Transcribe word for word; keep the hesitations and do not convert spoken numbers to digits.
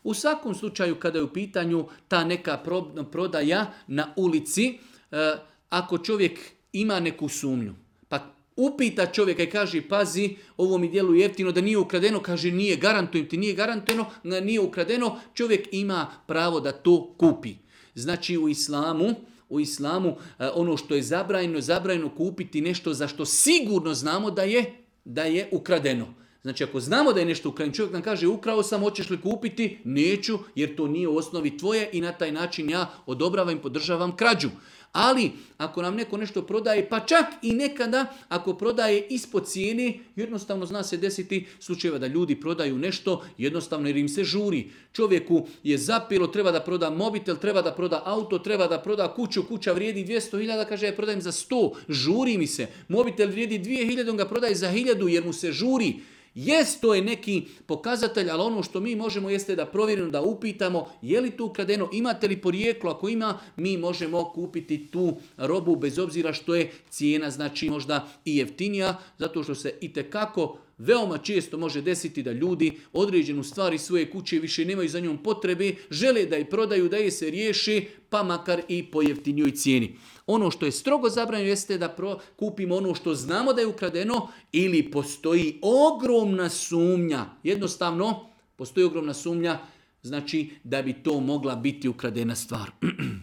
U svakom slučaju kada je u pitanju ta neka prodaja na ulici, ako čovjek ima neku sumnju, pa upita čovjeka i kaže pazi, ovo mi djeluje jeftino da nije ukradeno, kaže nije, garantujem ti, nije garantojeno, nije ukradeno, čovjek ima pravo da to kupi. Znači u islamu, u islamu ono što je zabranjeno, zabranjeno kupiti nešto za što sigurno znamo da je, da je ukradeno. Znači ako znamo da je nešto ukradeno, čovjek nam kaže ukrao sam, hoćeš li kupiti? Neću, jer to nije u osnovi tvoje i na taj način ja odobravam i podržavam krađu. Ali ako nam neko nešto prodaje, pa čak i nekada ako prodaje ispod cijene, jednostavno zna se desiti slučajeva da ljudi prodaju nešto jednostavno jer im se žuri. Čovjeku je zapelo, treba da proda mobitel, treba da proda auto, treba da proda kuću, kuća vrijedi dvjesto hiljada, kaže ja prodajem za sto, žuri mi se. Mobitel vrijedi dvije hiljade, on ga prodaje za hiljadu jer mu se žuri. Jest, to je neki pokazatelj, ali ono što mi možemo jeste da provjerimo, da upitamo je li to ukradeno, imate li porijeklo, ako ima, mi možemo kupiti tu robu bez obzira što je cijena znači možda i jeftinija, zato što se itekako veoma često može desiti da ljudi određenu stvari svoje kuće više nemaju za njom potrebe, žele da je prodaju, da je se riješi, pa makar i po jeftinijoj cijeni. Ono što je strogo zabranjeno jeste da pro, kupimo ono što znamo da je ukradeno ili postoji ogromna sumnja. Jednostavno, postoji ogromna sumnja, znači da bi to mogla biti ukradena stvar.